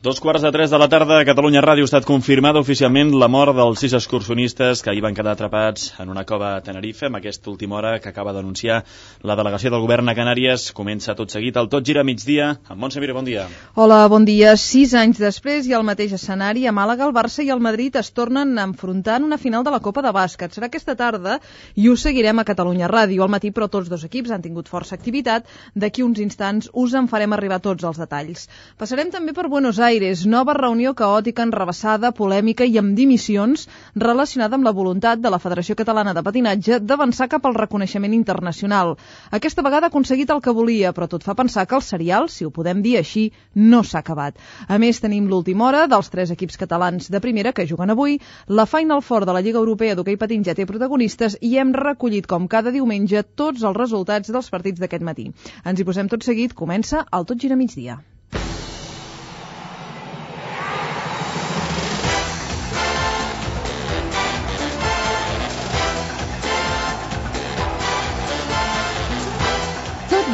2:15 de la tarda, a Catalunya Ràdio ha estat confirmada oficialment la mort dels 6 excursionistes que ahir van quedar atrapats en una cova a Tenerife. Amb aquesta última hora que acaba d'anunciar la delegació del govern a Canàries, comença tot seguit el Tot Gira Migdia. Amb Montse Mir, bon dia. Hola, bon dia. 6 anys després i al mateix escenari, a Màlaga, el Barça i el Madrid es tornen a enfrontar en una final de la Copa de Bàsquet. Serà aquesta tarda i ho seguirem a Catalunya Ràdio al matí, però tots dos equips han tingut força activitat. D'aquí uns instants us en farem arribar tots els detalls. Passarem també per Buenos Aires, nova reunió caòtica, enrevessada, polèmica i amb dimissions relacionada amb la voluntat de la Federació Catalana de Patinatge d'avançar cap al reconeixement internacional. Aquesta vegada ha aconseguit el que volia, però tot fa pensar que el serial, si ho podem dir així, no s'ha acabat. A més, tenim l'última hora dels 3 equips catalans de primera que juguen avui. La Final Four de la Lliga Europea d'Hoquei Patins ja té protagonistes i hem recollit, com cada diumenge, tots els resultats dels partits d'aquest matí. Ens hi posem tot seguit. Comença el Tot Gira Migdia.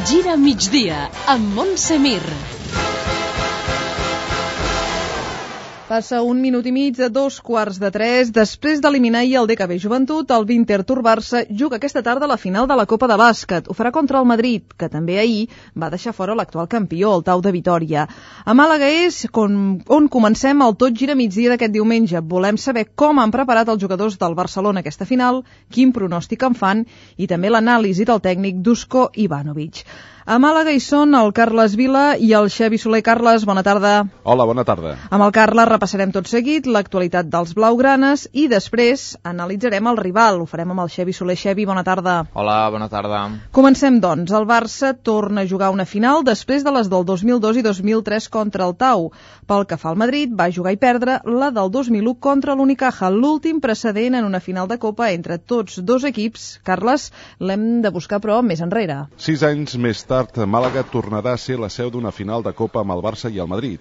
Gira migdia, amb Montse Mir. Passa 1 minut i mig de 2:15. Després d'eliminar ahir el DKB Joventut, el Vinter Tour Barça juga aquesta tarda a la final de la Copa de Bàsquet. Ho farà contra el Madrid, que també ahir va deixar fora l'actual campió, el Tau de Vitòria. A Màlaga és on comencem el Tot Gira Migdia d'aquest diumenge. Volem saber com han preparat els jugadors del Barcelona aquesta final, quin pronòstic en fan i també l'anàlisi del tècnic Dusko Ivanovic. A Màlaga hi són el Carles Vila i el Xavi Soler. Carles, bona tarda. Hola, bona tarda. Amb el Carles repassarem tot seguit l'actualitat dels blaugranes i després analitzarem el rival. Ho farem amb el Xavi Soler. Xavi, bona tarda. Hola, bona tarda. Comencem, doncs. El Barça torna a jugar una final després de les del 2002 i 2003 contra el Tau. Pel que fa al Madrid, va jugar i perdre la del 2001 contra l'Unicaja, l'últim precedent en una final de Copa entre tots dos equips. Carles, l'hem de buscar, però, més enrere. 6 anys més tard, Màlaga tornarà a ser la seu d'una final de Copa amb el Barça i el Madrid.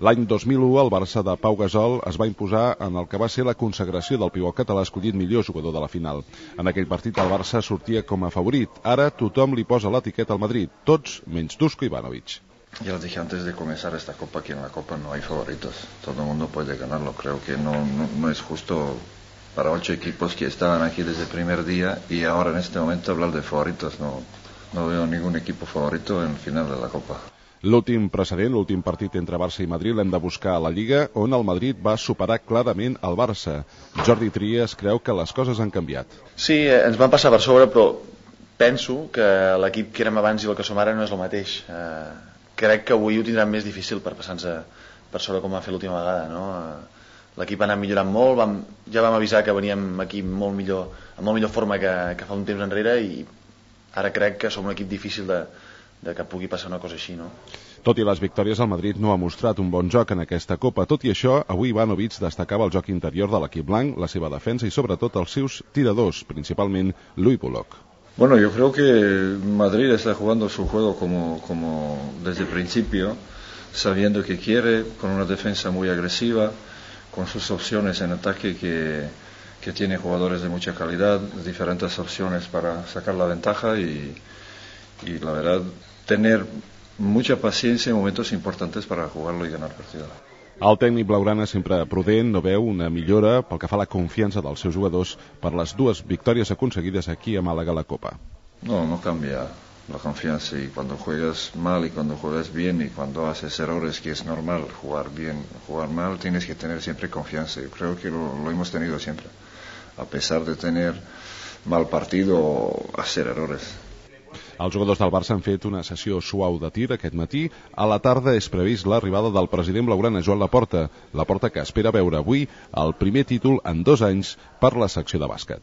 L'any 2001, el Barça de Pau Gasol es va imposar en el que va ser la consagració del pivot català escollit millor jugador de la final. En aquell partit el Barça sortia com a favorit. Ara tothom li posa l'etiqueta al Madrid, tots menys Dusko Ivanovic. Ya os dije antes de comenzar esta Copa que en la Copa no hay favoritos. Todo el mundo puede ganarlo. Creo que no es justo para 8 equipos que estaban aquí desde el primer día y ahora en este momento hablar de favoritos. No veo ningún equipo favorito en el final de la Copa. L'últim precedent, l'últim partit entre Barça i Madrid l'hem de buscar a la Lliga, on el Madrid va superar clarament el Barça. Jordi Trias creu que les coses han canviat. Sí, ens van passar per sobre, però penso que l'equip que érem abans i el que som ara no és el mateix. Crec que avui ho tindran més difícil per passar-nos per sobre com vam fer l'última vegada, no? L'equip ha anat millorant molt, ja vam avisar que veníem aquí amb molt millor forma que fa un temps enrere i ara crec que som un equip difícil de que pugui passar una cosa així, no? Tot i les victòries, el Madrid no ha mostrat un bon joc en aquesta Copa. Tot i això, avui Ivanovic destacava el joc interior de l'equip blanc, la seva defensa i sobretot els seus tiradors, principalment Louis Bullock. Bueno, yo creo que Madrid está jugando su juego como desde el principio, sabiendo que quiere, con una defensa muy agresiva, con sus opciones en ataque que tiene jugadores de mucha calidad, diferentes opciones para sacar la ventaja y la verdad tener mucha paciencia en momentos importantes para jugarlo y ganar partido. El tècnic blaugrana, sempre prudent, no veu una millora pel que fa a la confiança dels seus jugadors per les 2 victòries aconseguides aquí a Màlaga a la Copa. No cambia la confianza y cuando juegas mal y cuando juegas bien y cuando haces errores, que es normal jugar bien, jugar mal, tienes que tener siempre confianza. Yo creo que lo hemos tenido siempre, a pesar de tener mal partido o hacer errores. Els jugadors del Barça han fet una sessió suau de tir aquest matí. A la tarda és previst l'arribada del president blaugrana, Joan Laporta, que espera veure avui el primer títol en 2 anys per la secció de bàsquet.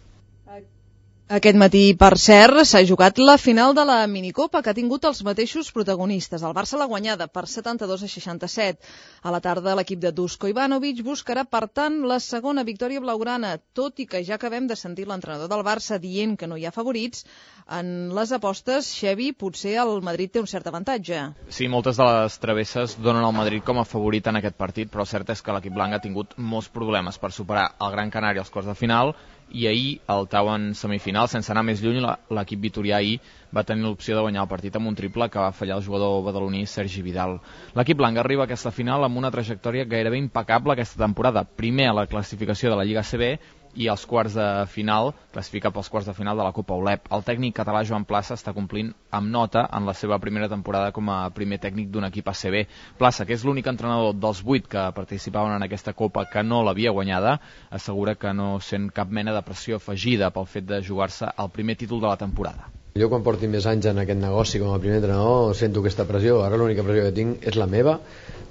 Aquest matí, per cert, s'ha jugat la final de la minicopa que ha tingut els mateixos protagonistes. El Barça l'ha guanyada per 72-67. A la tarda, l'equip de Dusko Ivanovic buscarà, per tant, la segona victòria blaugrana, tot i que ja acabem de sentir l'entrenador del Barça dient que no hi ha favorits. En les apostes, Xavi, potser el Madrid té un cert avantatge. Sí, moltes de les travesses donen al Madrid com a favorit en aquest partit, però cert és que l'equip blanc ha tingut molts problemes per superar el Gran Canària als quarts de final i ahir al Tau en semifinal, sense anar més lluny, l'equip vitorià ahir va tenir l'opció de guanyar el partit amb un triple que va fallar el jugador badaloní Sergi Vidal. L'equip blanc arriba a aquesta final amb una trajectòria gairebé impecable aquesta temporada. Primer a la classificació de la Lliga ACB i als quarts de final, classificat pels quarts de final de la Copa ULEP. El tècnic català Joan Plaça està complint amb nota en la seva primera temporada com a primer tècnic d'un equip ACB. Plaça, que és l'únic entrenador dels 8 que participaven en aquesta Copa que no l'havia guanyada, assegura que no sent cap mena de pressió afegida pel fet de jugar-se el primer títol de la temporada. Jo quan porti més anys en aquest negoci com a primer entrenador sento aquesta pressió. Ara l'única pressió que tinc és la meva,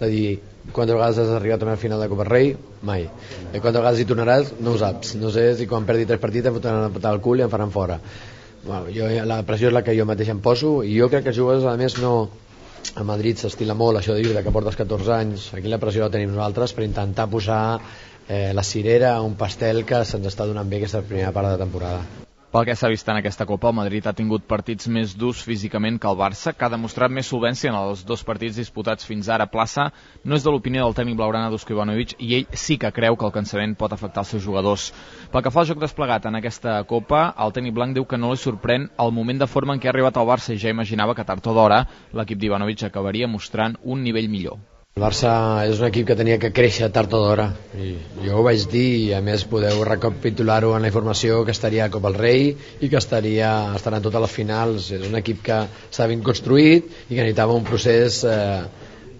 de dir quantes vegades has arribat a una final de Copa Rei? Mai. Quantes vegades hi tornaràs? No ho saps. No sé si quan perdi 3 partits em fotran a patar el cul i em faran fora. Bueno, la pressió és la que jo mateix em poso i jo crec que els jugadors a més no... A Madrid s'estila molt això de dir que portes 14 anys. Aquí la pressió la tenim nosaltres per intentar posar la cirera a un pastel que se'ns està donant bé aquesta primera part de temporada. Pel que s'ha vist en aquesta Copa, el Madrid ha tingut partits més durs físicament que el Barça, que ha demostrat més solvència en els 2 partits disputats fins ara. Plaça no és de l'opinió del tècnic blaugrana Dusko Ivanovic i ell sí que creu que el cansament pot afectar els seus jugadors. Pel que fa al joc desplegat en aquesta Copa, el tècnic blanc diu que no li sorprèn el moment de forma en què ha arribat al Barça i ja imaginava que tard o d'hora l'equip d'Ivanovic acabaria mostrant un nivell millor. El Barça és un equip que tenia que créixer tard o d'hora i jo ho vaig dir i a més podeu recapitular-ho en la informació que estaria a Copa del Rei i que estarà en totes les finals. És un equip que s'ha ben construït i que necessitava un procés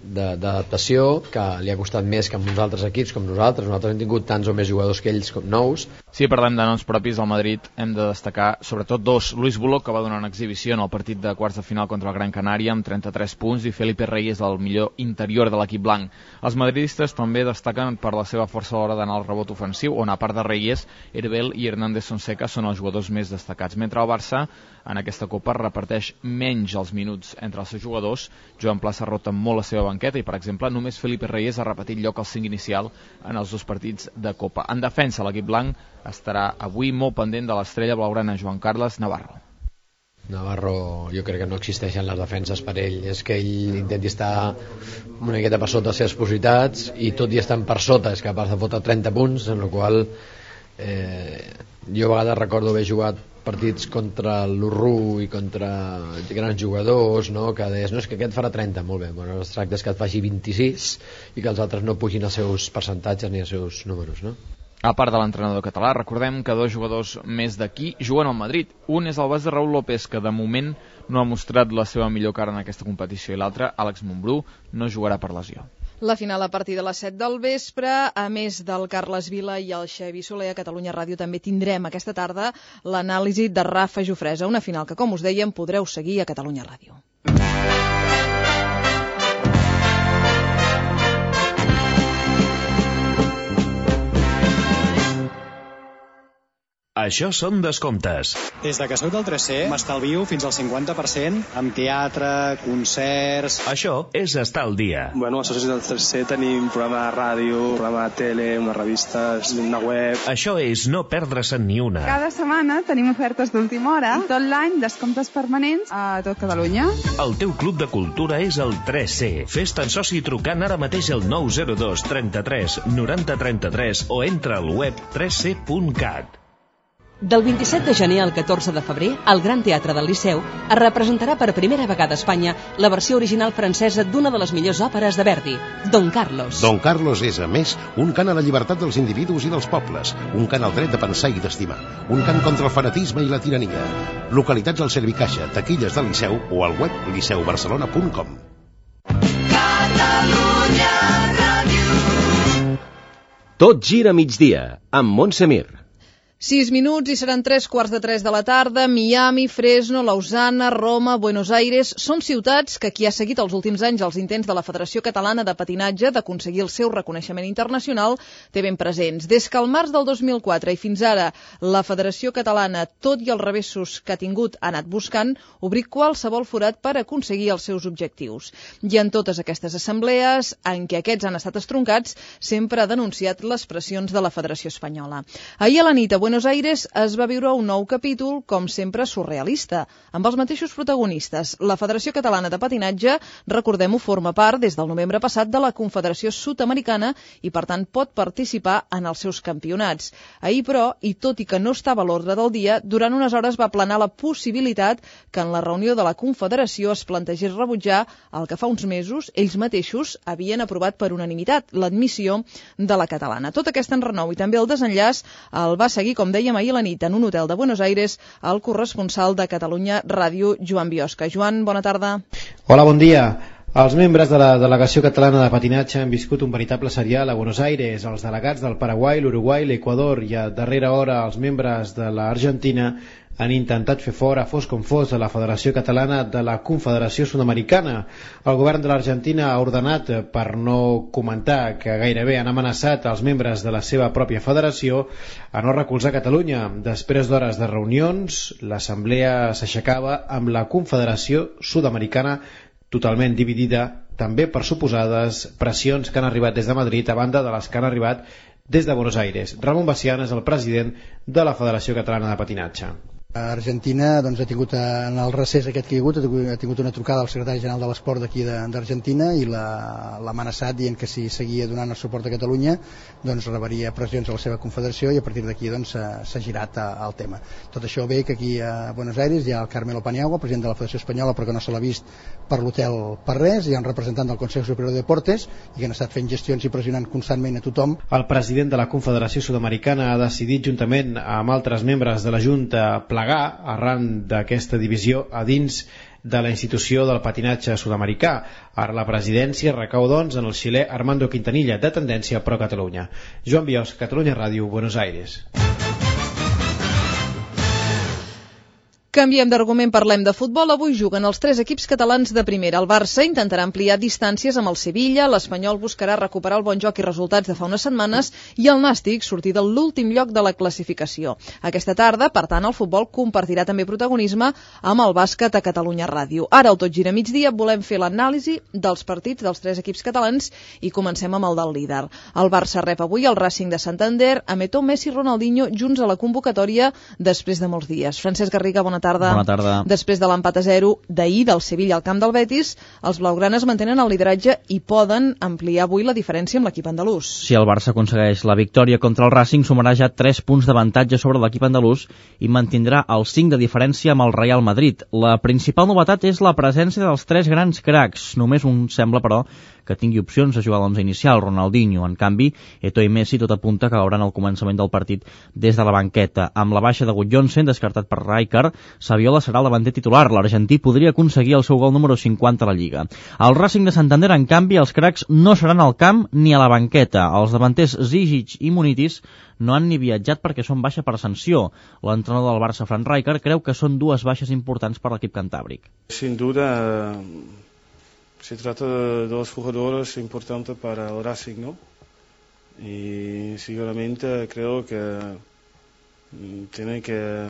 d'adaptació que li ha costat més que amb uns altres equips com nosaltres. Nosaltres hem tingut tants o més jugadors que ells com nous. Si parlem de noms propis al Madrid hem de destacar sobretot 2. Luis Bullock, que va donar una exhibició en el partit de quarts de final contra el Gran Canària amb 33 punts, i Felipe Reyes, el millor interior de l'equip blanc. Els madridistes també destaquen per la seva força a l'hora d'anar al rebot ofensiu, on a part de Reyes, Herbel i Hernández Sonseca són els jugadors més destacats, mentre el Barça en aquesta Copa reparteix menys els minuts entre els seus jugadors. Joan Plaça rota molt la seva banqueta i, per exemple, només Felipe Reyes ha repetit lloc al 5 inicial en els 2 partits de Copa. En defensa, l'equip blanc estarà avui molt pendent de l'estrella blaugrana Joan Carles Navarro. Navarro jo crec que no existeixen les defenses per ell, és que ell intenti estar una miqueta per sota les seves possibilitats i tot i estant per sota és capaç de fotre 30 punts, en la qual jo a vegades recordo haver jugat partits contra l'Urru i contra grans jugadors, no? Que deies, no, és que aquest farà 30, molt bé, bueno, es tracta és que et faci 26 i que els altres no pugin els seus percentatges ni els seus números, no? A part de l'entrenador català, recordem que 2 jugadors més d'aquí juguen al Madrid. Un és el base Raúl López, que de moment no ha mostrat la seva millor cara en aquesta competició, i l'altre, Àlex Montbrú, no jugarà per lesió. La final a partir de les 7 del vespre, a més del Carles Vila i el Xavi Soler a Catalunya Ràdio, també tindrem aquesta tarda l'anàlisi de Rafa Jofresa, una final que, com us dèiem, podreu seguir a Catalunya Ràdio. Això són descomptes. Des de que soc del 3C m'estalvio fins al 50% amb teatre, concerts... Això és estar al dia. Bueno, als socis del 3C tenim programa de ràdio, programa de tele, una revista, una web... Això és no perdre-se'n ni una. Cada setmana tenim ofertes d'última hora, tot l'any descomptes permanents a tot Catalunya. El teu club de cultura és el 3C. Fes-te'n soci trucant ara mateix al 902 33 90 33 o entra al web 3c.cat. Del 27 de gener al 14 de febrer, al Gran Teatre del Liceu es representarà per primera vegada a Espanya la versió original francesa d'una de les millors òperes de Verdi, Don Carlos. Don Carlos és, a més, un cant a la llibertat dels individus i dels pobles, un cant al dret de pensar i d'estimar, un cant contra el fanatisme i la tirania. Localitats al Servicaixa, taquilles del Liceu o al web liceubarcelona.com. Catalunya Ràdio. Tot gira a migdia, amb Montse Mir. 6 minuts i seran 3:15 de la tarda. Miami, Fresno, Lausana, Roma, Buenos Aires són ciutats que qui ha seguit els últims anys els intents de la Federació Catalana de Patinatge d'aconseguir el seu reconeixement internacional té ben presents. Des que el març del 2004 i fins ara la Federació Catalana, tot i els revessos que ha tingut, ha anat buscant obrir qualsevol forat per aconseguir els seus objectius. I en totes aquestes assemblees, en què aquests han estat estroncats, sempre ha denunciat les pressions de la Federació Espanyola. Ahir a la nit a Buenos Buenos Aires es va viure un nou capítol, com sempre, surrealista, amb els mateixos protagonistes. La Federació Catalana de Patinatge, recordem-ho, forma part des del novembre passat de la Confederació Sud-americana i, per tant, pot participar en els seus campionats. Ahir, però, i tot i que no estava a l'ordre del dia, durant unes hores va planar la possibilitat que en la reunió de la Confederació es plantegés rebutjar el que fa uns mesos ells mateixos havien aprovat per unanimitat, l'admissió de la catalana. Tot aquest enrenou i també el desenllaç el va seguir, com dèiem ahir a la nit, en un hotel de Buenos Aires, el corresponsal de Catalunya Ràdio, Joan Biosca. Joan, bona tarda. Hola, bon dia. Els membres de la delegació catalana de patinatge han viscut un veritable serial a Buenos Aires. Els delegats del Paraguai, l'Uruguai, l'Equador i a darrera hora els membres de l'Argentina han intentat fer fora, fos com fos, de la Federació Catalana de la Confederació Sud-americana. El govern de l'Argentina ha ordenat, per no comentar que gairebé han amenaçat els membres de la seva pròpia federació, a no recolzar Catalunya. Després d'hores de reunions, l'assemblea s'aixecava amb la Confederació Sud-americana totalment dividida, també per suposades pressions que han arribat des de Madrid a banda de les que han arribat des de Buenos Aires. Ramon Bacián és el president de la Federació Catalana de Patinatge. Argentina doncs, ha tingut, en el recés aquest que hi ha tingut una trucada al secretari general de l'Esport d'aquí d'Argentina i l'ha amenaçat dient que si seguia donant el suport a Catalunya doncs rebaria pressions a la seva confederació i a partir d'aquí doncs, s'ha girat al tema. Tot això ve que aquí a Buenos Aires hi ha el Carmelo Paniagua, president de la Federació Espanyola, però que no se l'ha vist per l'hotel per res, hi ha un representant del Consell Superior de Deportes i que han estat fent gestions i pressionant constantment a tothom. El president de la Confederació Sud-americana ha decidit, juntament amb altres membres de la Junta, arran d'aquesta divisió a dins de la institució del patinatge sud-americà. Ara la presidència recau, doncs, en el xilè Armando Quintanilla, de tendència Pro Catalunya. Joan Biosc, Catalunya Ràdio, Buenos Aires. Canviem d'argument, parlem de futbol. Avui juguen els 3 equips catalans de primera. El Barça intentarà ampliar distàncies amb el Sevilla, l'Espanyol buscarà recuperar el bon joc i resultats de fa unes setmanes i el Nàstic sortir de l'últim lloc de la classificació. Aquesta tarda, per tant, el futbol compartirà també protagonisme amb el bàsquet a Catalunya Ràdio. Ara, al Tot Gira Migdia, volem fer l'anàlisi dels partits dels 3 equips catalans i comencem amb el del líder. El Barça rep avui el Racing de Santander, amb Eto'o, Messi i Ronaldinho junts a la convocatòria després de molts dies. Francesc Garriga, bona tarda. Bona tarda. Després de l'empat a 0 d'ahir del Sevilla al camp del Betis, els blaugranes mantenen el lideratge i poden ampliar avui la diferència amb l'equip andalús. Si el Barça aconsegueix la victòria contra el Racing, sumarà ja 3 punts d'avantatge sobre l'equip andalús i mantindrà el 5 de diferència amb el Real Madrid. La principal novetat és la presència dels 3 grans cracs. Només un sembla, però, que tingui opcions a jugar a l'11 inicial, Ronaldinho. En canvi, Eto'o i Messi tot apunta que veuran el començament del partit des de la banqueta. Amb la baixa de Gudjohnsen, descartat per Rijkaard, Saviola serà el davanter titular. L'argentí podria aconseguir el seu gol número 50 a la Lliga. Al Racing de Santander, en canvi, els cracs no seran al camp ni a la banqueta. Els davanters Zizic i Munitis no han ni viatjat perquè són baixa per sanció. L'entrenador del Barça, Frank Rijkaard, creu que són 2 baixes importants per l'equip cantàbric. Sin duda, se trata de 2 jugadores importantes para el Racing, ¿no? Y seguramente creo que tienen que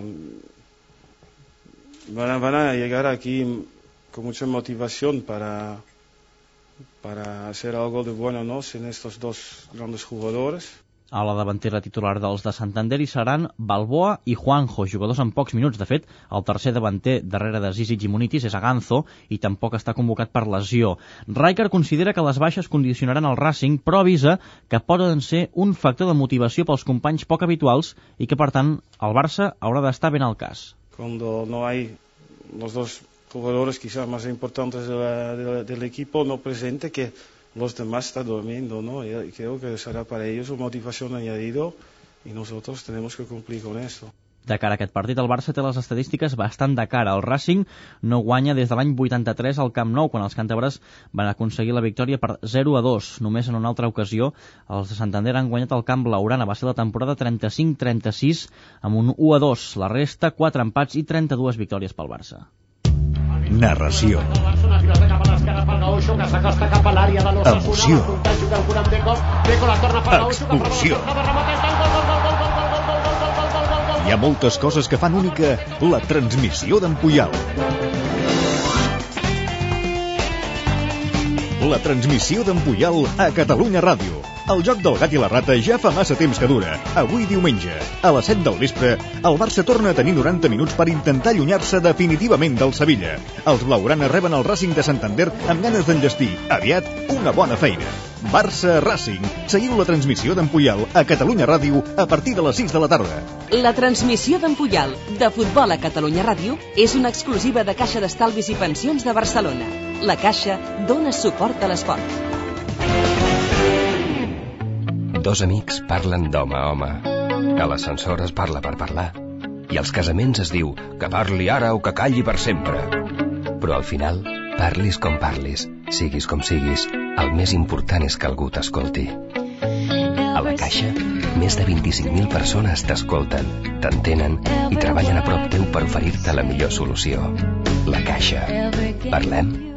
van a llegar aquí con mucha motivación para hacer algo de bueno, ¿no? Sin estos 2 grandes jugadores. A la davantera titular dels de Santander hi seran Balboa i Juanjo, jugadors en pocs minuts. De fet, el tercer davanter darrere de Zizic i Munitis és Aganzo i tampoc està convocat per lesió. Rijkaard considera que les baixes condicionaran el Racing, però avisa que poden ser un factor de motivació pels companys poc habituals i que, per tant, el Barça haurà d'estar ben al cas. Cuando no hay los 2 jugadores quizás más importantes del equipo no presente, que los demás están durmiendo, ¿no? Y creo que será para ellos una motivación añadido y nosotros tenemos que cumplir con esto. De cara a aquest partit, el Barça té les estadístiques bastant de cara. El Racing no guanya des de l'any 83 al Camp Nou, quan els càntabres van aconseguir la victòria per 0-2. Només en una altra ocasió, els de Santander han guanyat al Camp Blaugrana. Va ser la temporada 35-36 amb un 1-2. La resta, 4 empats i 32 victòries pel Barça. Narració. Emoció. Expulsió. Hi ha moltes coses que fan única la transmissió d'en Puyal. La transmissió d'en Puyal a Catalunya Ràdio. El joc del gat i la rata ja fa massa temps que dura. Avui diumenge, a les 7 del vespre, el Barça torna a tenir 90 minuts per intentar allunyar-se definitivament del Sevilla. Els blaugranes reben el Racing de Santander amb ganes d'enllestir, aviat, una bona feina. Barça-Racing. Seguiu la transmissió d'en Puyal a Catalunya Ràdio a partir de les 6 de la tarda. La transmissió d'en Puyal de futbol a Catalunya Ràdio és una exclusiva de Caixa d'Estalvis i Pensions de Barcelona. La Caixa dona suport a l'esport. Dos amics parlen d'home a home. A l'ascensor es parla per parlar. I als casaments es diu que parli ara o que calli per sempre. Però al final, parlis com parlis, siguis com siguis, el més important és que algú t'escolti. A la Caixa, més de 25.000 persones t'escolten, t'entenen i treballen a prop teu per oferir-te la millor solució. La Caixa. Parlem?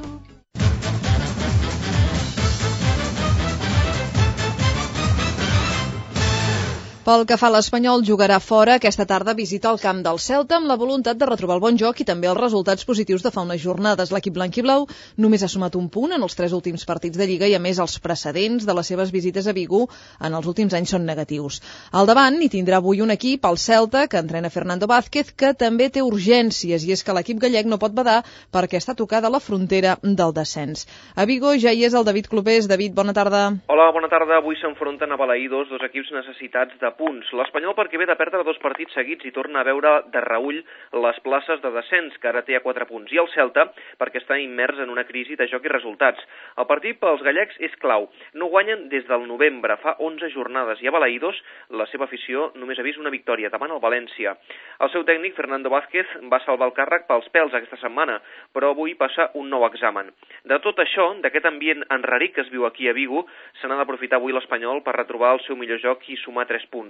Pel que fa a l'Espanyol, jugarà fora. Aquesta tarda visita el camp del Celta amb la voluntat de retrobar el bon joc i també els resultats positius de fa unes jornades. L'equip blanquiblau només ha sumat un punt en els 3 últims partits de Lliga i, a més, els precedents de les seves visites a Vigo en els últims anys són negatius. Al davant hi tindrà avui un equip, el Celta, que entrena Fernando Vázquez, que també té urgències, i és que l'equip gallec no pot badar perquè està tocada la frontera del descens. A Vigo ja hi és el David Clopés. David, bona tarda. Hola, bona tarda. Avui s'enfronten a Balaïdos, dos equips necessitats de punts. L'Espanyol, perquè ve de perdre 2 partits seguits i torna a veure de reüll les places de descens, que ara té a 4 punts. I el Celta, perquè està immers en una crisi de joc i resultats. El partit pels gallecs és clau. No guanyen des del novembre, fa 11 jornades, i a Balaïdos la seva afició només ha vist una victòria, davant el València. El seu tècnic, Fernando Vázquez, va salvar el càrrec pels pèls aquesta setmana, però avui passa un nou examen. De tot això, d'aquest ambient enrarit que es viu aquí a Vigo, se n'ha d'aprofitar avui l'Espanyol per retrobar el seu millor joc i sumar 3 punts.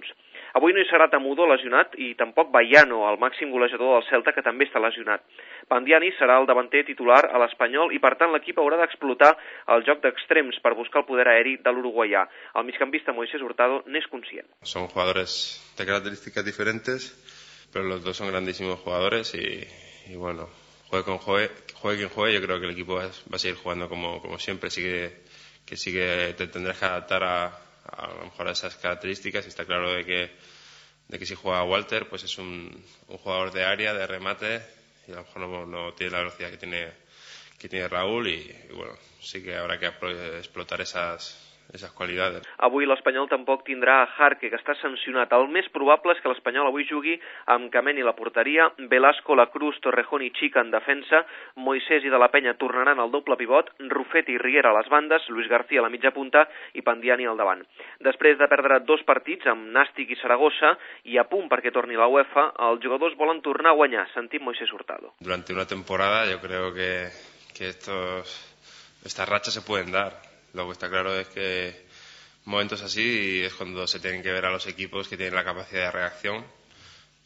Avui no hi serà Tamudo lesionat i tampoc Baiano, el màxim golejador del Celta, que també està lesionat. Pandiani serà el davanter titular a l'Espanyol i, per tant, l'equip haurà d'explotar el joc d'extrems per buscar el poder aeri de l'uruguaià. El migcampista Moisés Hurtado n'és conscient. Son jugadores de características diferentes, pero los dos son grandísimos jugadores y bueno, juegue quien juegue, yo creo que el equipo va a seguir jugando como siempre. Te tendrás que adaptar a lo mejor a esas características, y está claro de que si juega Walter, pues es un jugador de área, de remate, y a lo mejor no tiene la velocidad que tiene Raúl, y bueno, sí que habrá que explotar esas qualitats. Avui l'Espanyol tampoc tindrà a Jarque, que està sancionat. El més probable és que l'Espanyol avui jugui amb Cameni a la porteria, Velasco, La Cruz, Torrejón i Chica en defensa, Moisés i De la Penya tornaran al doble pivot, Rufet i Riera a les bandes, Luis García a la mitja punta i Pandiani al davant. Després de perdre 2 partits amb Nàstic i Saragossa i a punt perquè torni la UEFA, els jugadors volen tornar a guanyar, sentim Moisés Hurtado. Durante una temporada yo creo que estas rachas se pueden dar. Lo que está claro es que momentos así es cuando se tienen que ver a los equipos que tienen la capacidad de reacción,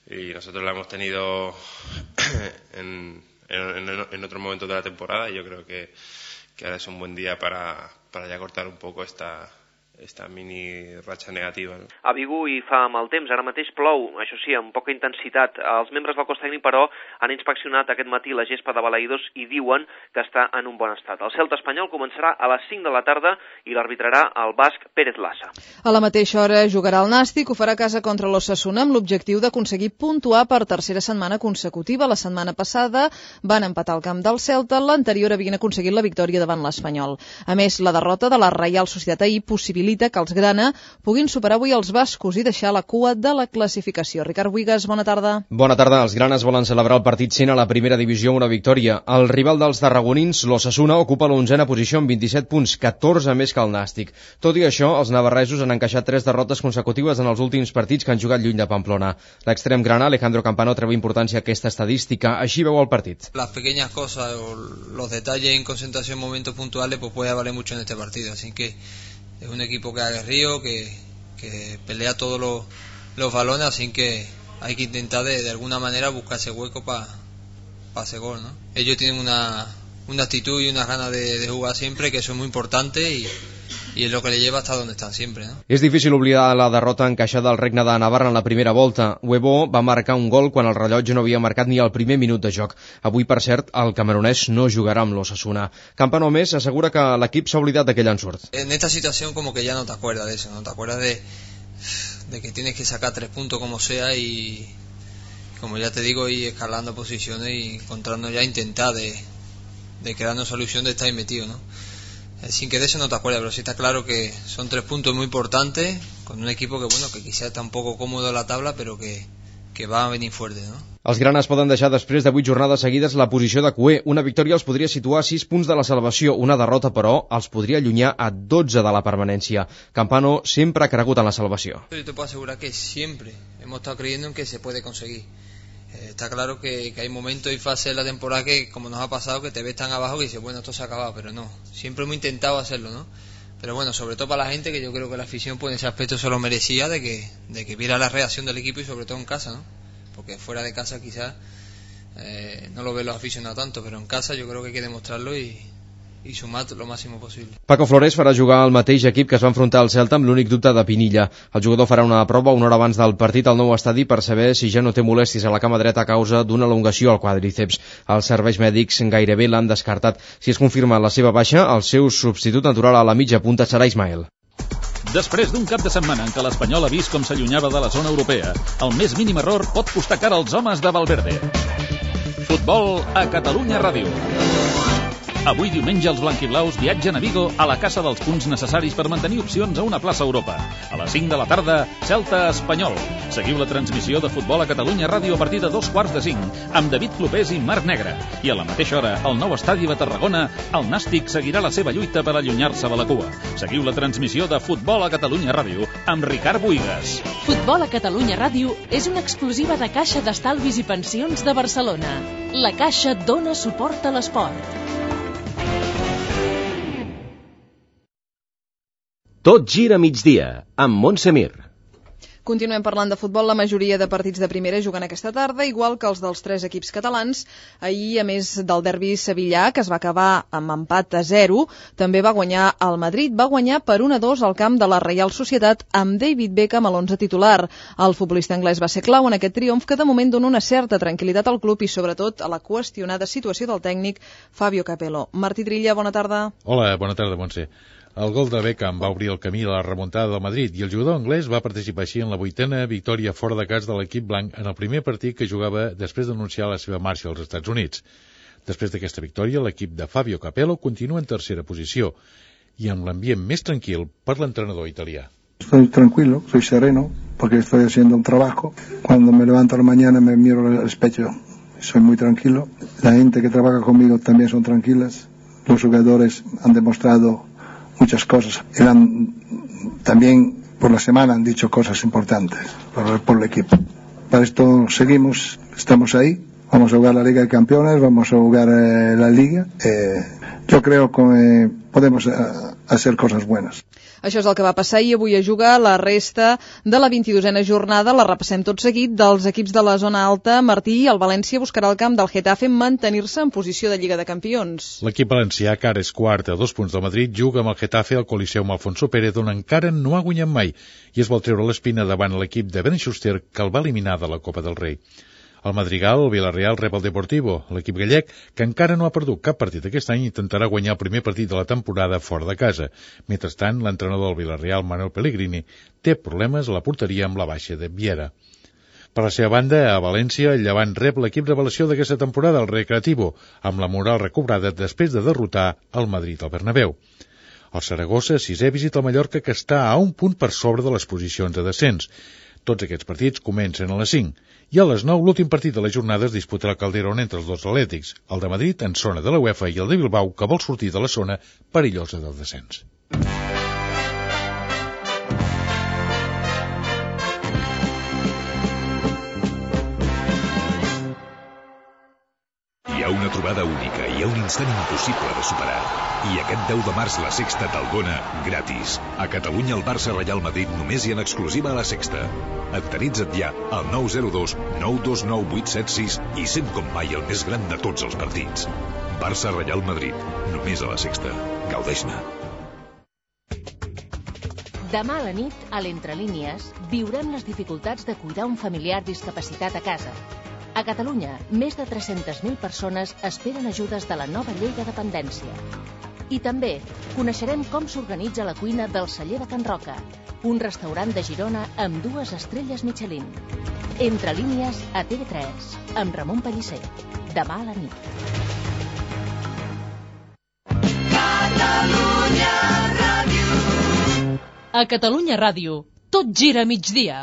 y nosotros la hemos tenido en otros momentos de la temporada, y yo creo que ahora es un buen día para ya cortar un poco esta mini ratxa negativa. No? A Vigo hi fa mal temps, ara mateix plou, això sí, amb poca intensitat. Els membres del cos tècnic, però, han inspeccionat aquest matí la gespa de Balaïdos i diuen que està en un bon estat. El Celta espanyol començarà a les 5 de la tarda i l'arbitrarà el basc Pérez Lassa. A la mateixa hora jugarà el Nàstic, ho farà a casa contra l'Osasuna amb l'objectiu d'aconseguir puntuar per tercera setmana consecutiva. La setmana passada van empatar al camp del Celta, l'anterior havien aconseguit la victòria davant l'Espanyol. A més, la derrota de la Reial Societat ahir possibilita que els grana puguin superar avui els bascos i deixar la cua de la classificació. Ricard Buigas, bona tarda. Bona tarda. Els granes volen celebrar el partit 100 a la primera divisió amb una victòria. El rival dels tarragonins, l'Osasuna, ocupa l'11a posició amb 27 punts, 14 més que el Nàstic. Tot i això, els navarresos han encaixat 3 derrotes consecutives en els últims partits que han jugat lluny de Pamplona. L'extrem grana, Alejandro Campano, treu importància a aquesta estadística. Així veu el partit. Las pequeñas cosas o los detalles en concentración en momentos puntuales pues puede valer mucho en este partido, así que es un equipo que ha aguerrido, que pelea todos los balones, así que hay que intentar de alguna manera buscar ese hueco para ese gol, ¿no? Ellos tienen una actitud y unas ganas de jugar siempre, que eso es muy importante, y es lo que le lleva hasta donde están siempre, ¿no? És difícil oblidar la derrota encaixada al Regne de Navarra en la primera volta. Huevo va marcar un gol quan el rellotge no havia marcat ni el primer minut de joc. Avui, per cert, el camerunès no jugarà amb l'Osasuna. Campano, més, assegura que l'equip s'ha oblidat d'aquell ensurt. En esta situación como que ya no te acuerdas de eso, no te acuerdas de que tienes que sacar 3 puntos como sea y, como ya te digo, ir escalando posiciones y encontrarnos ya, intentar de crearnos solución de estar ahí metido, ¿no? Sin que de eso no te acuerdas, pero sí está claro que son 3 puntos muy importantes con un equipo que, bueno, que quizás está un poco cómodo en la tabla, pero que va a venir fuerte, ¿no? Els granes poden deixar després de 8 jornades seguides la posició de cuer. Una victòria els podria situar a 6 punts de la salvació. Una derrota, però, els podria allunyar a 12 de la permanència. Campano sempre ha cregut en la salvació. Yo te puedo asegurar que siempre hemos estado creyendo en que se puede conseguir. Está claro que hay momentos y fases de la temporada que, como nos ha pasado, que te ves tan abajo que dices, bueno, esto se ha acabado, pero no. Siempre hemos intentado hacerlo, ¿no? Pero bueno, sobre todo para la gente, que yo creo que la afición pues en ese aspecto se lo merecía, de que viera la reacción del equipo y sobre todo en casa, ¿no? Porque fuera de casa quizás no lo ven los aficionados tanto, pero en casa yo creo que hay que demostrarlo y sumar lo máximo posible. Paco Flores farà jugar al mateix equip que es va enfrontar al Celta amb l'únic dubte de Pinilla. El jugador farà una prova una hora abans del partit al nou estadi per saber si ja no té molèsties a la cama dreta a causa d'una elongació al quadríceps. Els serveis mèdics gairebé l'han descartat. Si es confirma la seva baixa, el seu substitut natural a la mitja punta serà Ismael. Després d'un cap de setmana en què l'Espanyol ha vist com s'allunyava de la zona europea, el més mínim error pot costar cara als homes de Valverde. Futbol a Catalunya Ràdio. Avui diumenge els blanquiblaus viatgen a Vigo a la caça dels punts necessaris per mantenir opcions a una plaça a Europa. A les 5 de la tarda, Celta Espanyol. Seguiu la transmissió de Futbol a Catalunya Ràdio a partir de 4:45 amb David Clopés i Marc Negre. I a la mateixa hora, al nou estadi de Tarragona, el Nàstic seguirà la seva lluita per allunyar-se de la cua. Seguiu la transmissió de Futbol a Catalunya Ràdio amb Ricard Buigas. Futbol a Catalunya Ràdio és una exclusiva de Caixa d'Estalvis i Pensions de Barcelona. La Caixa dona suport a l'esport. Tot gira a migdia, amb Montse Mir. Continuem parlant de futbol. La majoria de partits de primera juguen aquesta tarda, igual que els dels 3 equips catalans. Ahir, a més del derbi sevillà, que es va acabar amb empat a 0, també va guanyar el Madrid. Va guanyar per 1-2 al camp de la Reial Societat amb David Beckham a l'11 titular. El futbolista anglès va ser clau en aquest triomf, que de moment dona una certa tranquil·litat al club i sobretot a la qüestionada situació del tècnic Fabio Capello. Martí Trilla, bona tarda. Hola, bona tarda, Montse. El gol de Beckham va obrir el camí a la remuntada del Madrid i el jugador anglès va participar així en la 8a victòria fora de casa de l'equip blanc en el primer partit que jugava després d'anunciar la seva marxa als Estats Units. Després d'aquesta victòria, l'equip de Fabio Capello continua en tercera posició i amb l'ambient més tranquil per l'entrenador italià. Estoy tranquilo, soy sereno, porque estoy haciendo un trabajo. Cuando me levanto a la mañana me miro al espejo, soy muy tranquilo. La gente que trabaja conmigo también son tranquilas. Los jugadores han demostrado muchas cosas. También por la semana han dicho cosas importantes por el equipo. Para esto seguimos, estamos ahí. Vamos a jugar la Liga de Campeones, vamos a jugar la Liga. Yo creo que podemos hacer cosas buenas. Això és el que va passar i avui es juga la resta de la 22a jornada. La repassem tot seguit. Dels equips de la zona alta, Martí, el València buscarà el camp del Getafe mantenir-se en posició de Lliga de Campions. L'equip valencià, que ara és quart a 2 punts del Madrid, juga amb el Getafe al Coliseu Alfonso Pérez, on encara no ha guanyat mai, i es vol treure l'espina davant l'equip de Ben Schuster, que el va eliminar de la Copa del Rei. Al Madrigal, el Villarreal rep el Deportivo. L'equip gallec, que encara no ha perdut cap partit aquest any, intentarà guanyar el primer partit de la temporada fora de casa. Mentrestant, l'entrenador del Villarreal, Manuel Pellegrini, té problemes a la porteria amb la baixa de Viera. Per la seva banda, a València, el Llevant rep l'equip revelació d'aquesta temporada, el Recreativo, amb la moral recobrada després de derrotar el Madrid al Bernabéu. El Saragossa, 6è, visita el Mallorca, que està a un punt per sobre de les posicions de descens. Tots aquests partits comencen a les 5. I a les 9, l'últim partit de la jornada es disputarà al Calderón entre els dos atlètics, el de Madrid en zona de la UEFA i el de Bilbao, que vol sortir de la zona perillosa del descens. Hi ha una trobada única, hi ha un instant impossible de superar. I aquest 10 de març la Sexta te'l dona gratis. A Catalunya el Barça Reial Madrid només hi ha en exclusiva a la Sexta. Acteritza't ja al 902 929 876 i sent com mai el més gran de tots els partits. Barça Reial Madrid, només a la Sexta. Gaudeix-ne. Demà a la nit, a l'Entrelínies, viurem les dificultats de cuidar un familiar discapacitat a casa. A Catalunya, més de 300.000 persones esperen ajudes de la nova llei de dependència. I també coneixerem com s'organitza la cuina del Celler de Can Roca, un restaurant de Girona amb 2 estrelles Michelin. Entrelínies a TV3, amb Ramon Pellicer. Demà a la nit. A Catalunya Ràdio, tot gira a migdia.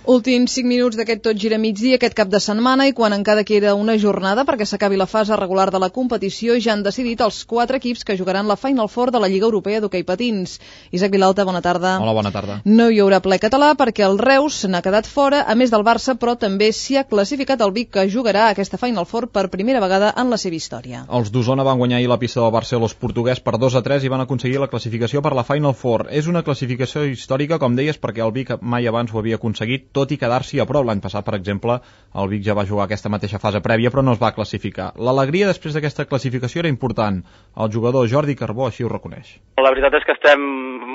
Últims 5 minuts d'aquest tot gira migdia aquest cap de setmana i quan encara queda una jornada perquè s'acabi la fase regular de la competició ja han decidit els 4 equips que jugaran la Final Four de la Lliga Europea d'Hoquei Patins. Isaac Vilalta, bona tarda. Hola, bona tarda. No hi haurà ple català perquè el Reus n'ha quedat fora, a més del Barça, però també s'hi ha classificat el Vic, que jugarà aquesta Final Four per primera vegada en la seva història. Els d'Osona van guanyar ahir la pista del Barcelos portuguès per 2-3 i van aconseguir la classificació per la Final Four. És una classificació històrica, com deies, perquè el Vic mai abans ho havia aconseguit, tot i quedar-s'hi a prop. L'any passat, per exemple, el Vic ja va jugar aquesta mateixa fase prèvia, però no es va classificar. L'alegria després d'aquesta classificació era important. El jugador Jordi Carbó així ho reconeix. La veritat és que estem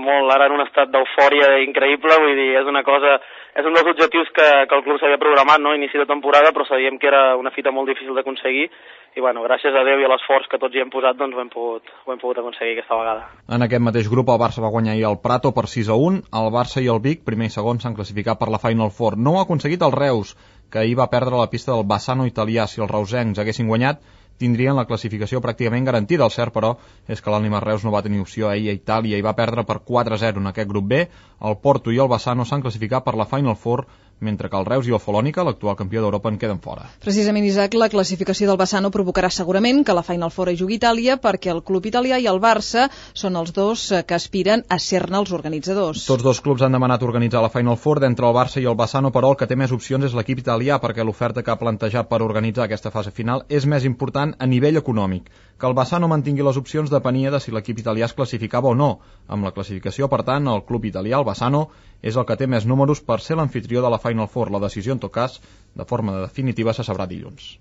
molt ara en un estat d'eufòria increïble, vull dir, és una cosa, és un dels objectius que el club s'havia programat, no? Inici de temporada, però sabíem que era una fita molt difícil d'aconseguir i bueno, gràcies a Déu i a l'esforç que tots hi hem posat, doncs ho hem pogut aconseguir aquesta vegada. En aquest mateix grup el Barça va guanyar ahir el Prato per 6-1, el Barça i el Vic, primer i segon, s'han classificat per la Final Four. No ho ha aconseguit el Reus, que ahir va perdre la pista del Bassano italià. Si els reusencs haguessin guanyat, tindrien la classificació pràcticament garantida. El cert, però, és que l'Ànima Reus no va tenir opció ahir a Itàlia i va perdre per 4-0 en aquest grup B. El Porto i el Bassano s'han classificat per la Final Four, mentre que el Reus i el Folònica, l'actual campió d'Europa, en queden fora. Precisament, Isaac, la classificació del Bassano provocarà segurament que la Final Four hi jugui Itàlia, perquè el club italià i el Barça són els dos que aspiren a ser-ne els organitzadors. Tots dos clubs han demanat organitzar la Final Four. D'entre el Barça i el Bassano, però, el que té més opcions és l'equip italià, perquè l'oferta que ha plantejat per organitzar aquesta fase final és més important a nivell econòmic. Que el Bassano mantingui les opcions depenia de si l'equip italià es classificava o no. Amb la classificació, per tant, el club italià, el Bassano, és el que té més números per ser l'anfitrió de la Final Four. La decisió, en tot cas, de forma definitiva, se sabrà dilluns.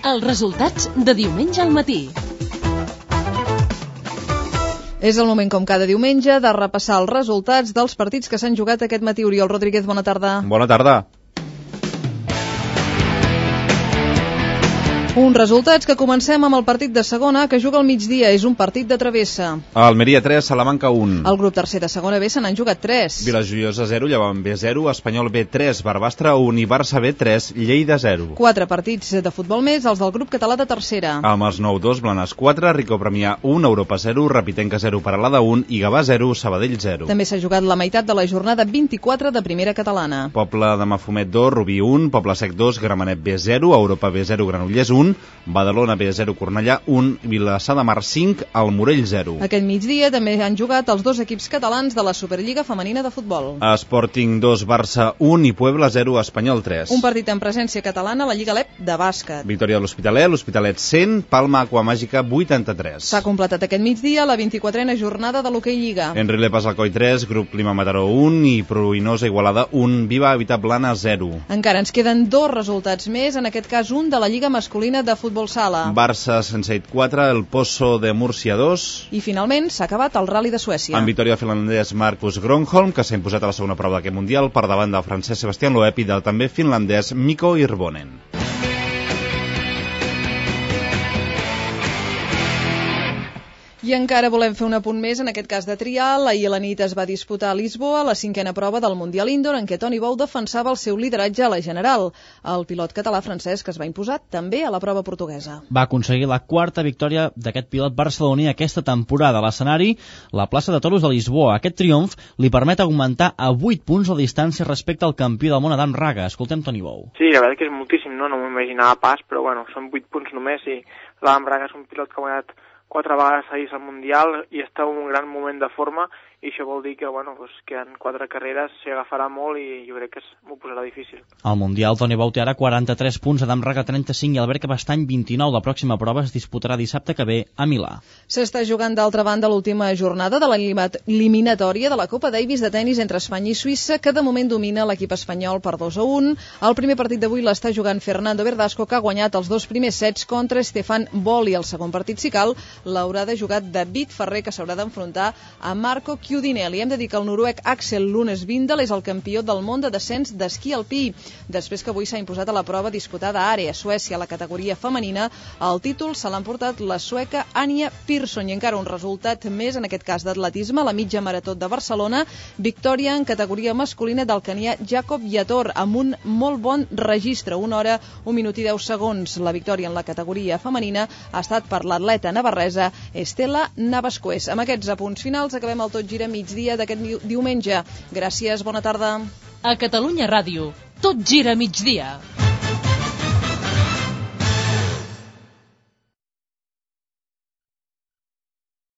Els resultats de diumenge al matí. És el moment, com cada diumenge, de repassar els resultats dels partits que s'han jugat aquest matí. Oriol Rodríguez, bona tarda. Bona tarda. Uns resultats que comencem amb el partit de segona, que juga al migdia. És un partit de travessa. Almeria 3, Salamanca 1. El grup tercer de segona B se n'han jugat 3. Vilajoiosa 0, Llevant B 0, Espanyol B 3, Barbastre 1 i Barça B 3, Lleida 0. 4 partits de futbol més, els del grup català de tercera. Amb els 9-2, Blanes 4, Rico Premià 1, Europa 0, Rapitenca 0, Paralada 1 i Gavà 0, Sabadell 0. També s'ha jugat la meitat de la jornada 24 de primera catalana. Poble de Mafumet 2, Rubí 1, Poble Sec 2, Gramenet B 0, Europa B 0, Granollers 1, Badalona B 0, Cornellà 1, Vilassar de Mar 5, el Morell 0. Aquest migdia també han jugat els dos equips catalans de la Superliga Femenina de Futbol. Sporting 2, Barça 1 i Puebla 0, Espanyol 3. Un partit en presència catalana a la Lliga LEP de bàsquet. Victòria de l'Hospitalet 100, Palma Aquamàgica 83. S'ha completat aquest migdia la 24a jornada de l'Hoquei Lliga. Enri Lepas Alcoi 3, Grup Clima Mataró 1 i Pruïnosa Igualada 1, Viva Habitat Blana 0. Encara ens queden 2 resultats més, en aquest cas un de la Lliga Masculina de Futbol Sala. Barça Senseit 4, el Pozo de Múrcia 2. I finalment s'ha acabat el Rally de Suècia. Amb victòria finlandès Marcus Gronholm, que s'ha imposat a la segona prova d'aquest Mundial per davant del francès Sebastián Loeb i del també finlandès Mikko Hirvonen. I encara volem fer un apunt més, en aquest cas de trial. Ahir a la nit es va disputar a Lisboa la 5a prova del Mundial Indoor, en què Toni Bou defensava el seu lideratge a la general. El pilot català francès que es va imposar també a la prova portuguesa. Va aconseguir la 4a victòria d'aquest pilot barceloní aquesta temporada. A l'escenari, la plaça de Toros de Lisboa. Aquest triomf li permet augmentar a 8 punts la distància respecte al campió del món Adam Raga. Escoltem Toni Bou. Sí, la veritat que és moltíssim, no m'ho imaginava pas, però bueno, són 8 punts només i l'Adam Raga és un pilot que ha guanyat 4 vegades seguits al Mundial i està en un gran moment de forma i això vol dir que, bueno, pues, que en 4 carreres s'hi agafarà molt i jo crec que m'ho posarà difícil. Al Mundial, Toni Bou té ara 43 punts, Adam Raga 35 i Albert Cabestany 29. La pròxima prova es disputarà dissabte que ve a Milà. S'està jugant d'altra banda l'última jornada de l'eliminatòria de la Copa Davis de tenis entre Espanya i Suïssa, que de moment domina l'equip espanyol per 2-1. El primer partit d'avui l'està jugant Fernando Verdasco, que ha guanyat els 2 primers sets contra Stefan Boli. El segon partit, si cal, l'haurà de jugar David Ferrer, que s'haurà d'enfrontar a Marco Chiudinelli. Hem de dir que el noruec Axel Lunes Vindal és el campió del món de descens d'esquí alpí, després que avui s'ha imposat a la prova disputada a Are, a Suècia, a la categoria femenina. El títol se l'ha emportat la sueca Anja Persson, i encara un resultat més, en aquest cas d'atletisme, la mitja marató de Barcelona, victòria en categoria masculina del canià Jacob Yator, amb un molt bon registre, 1 hora, 1 minut i 10 segons. La victòria en la categoria femenina ha estat per l'atleta navarresa Estela Navascués. Amb aquests apunts finals acabem el Tot Gira Migdia d'aquest diumenge. Gràcies, bona tarda. A Catalunya Ràdio, Tot Gira Migdia.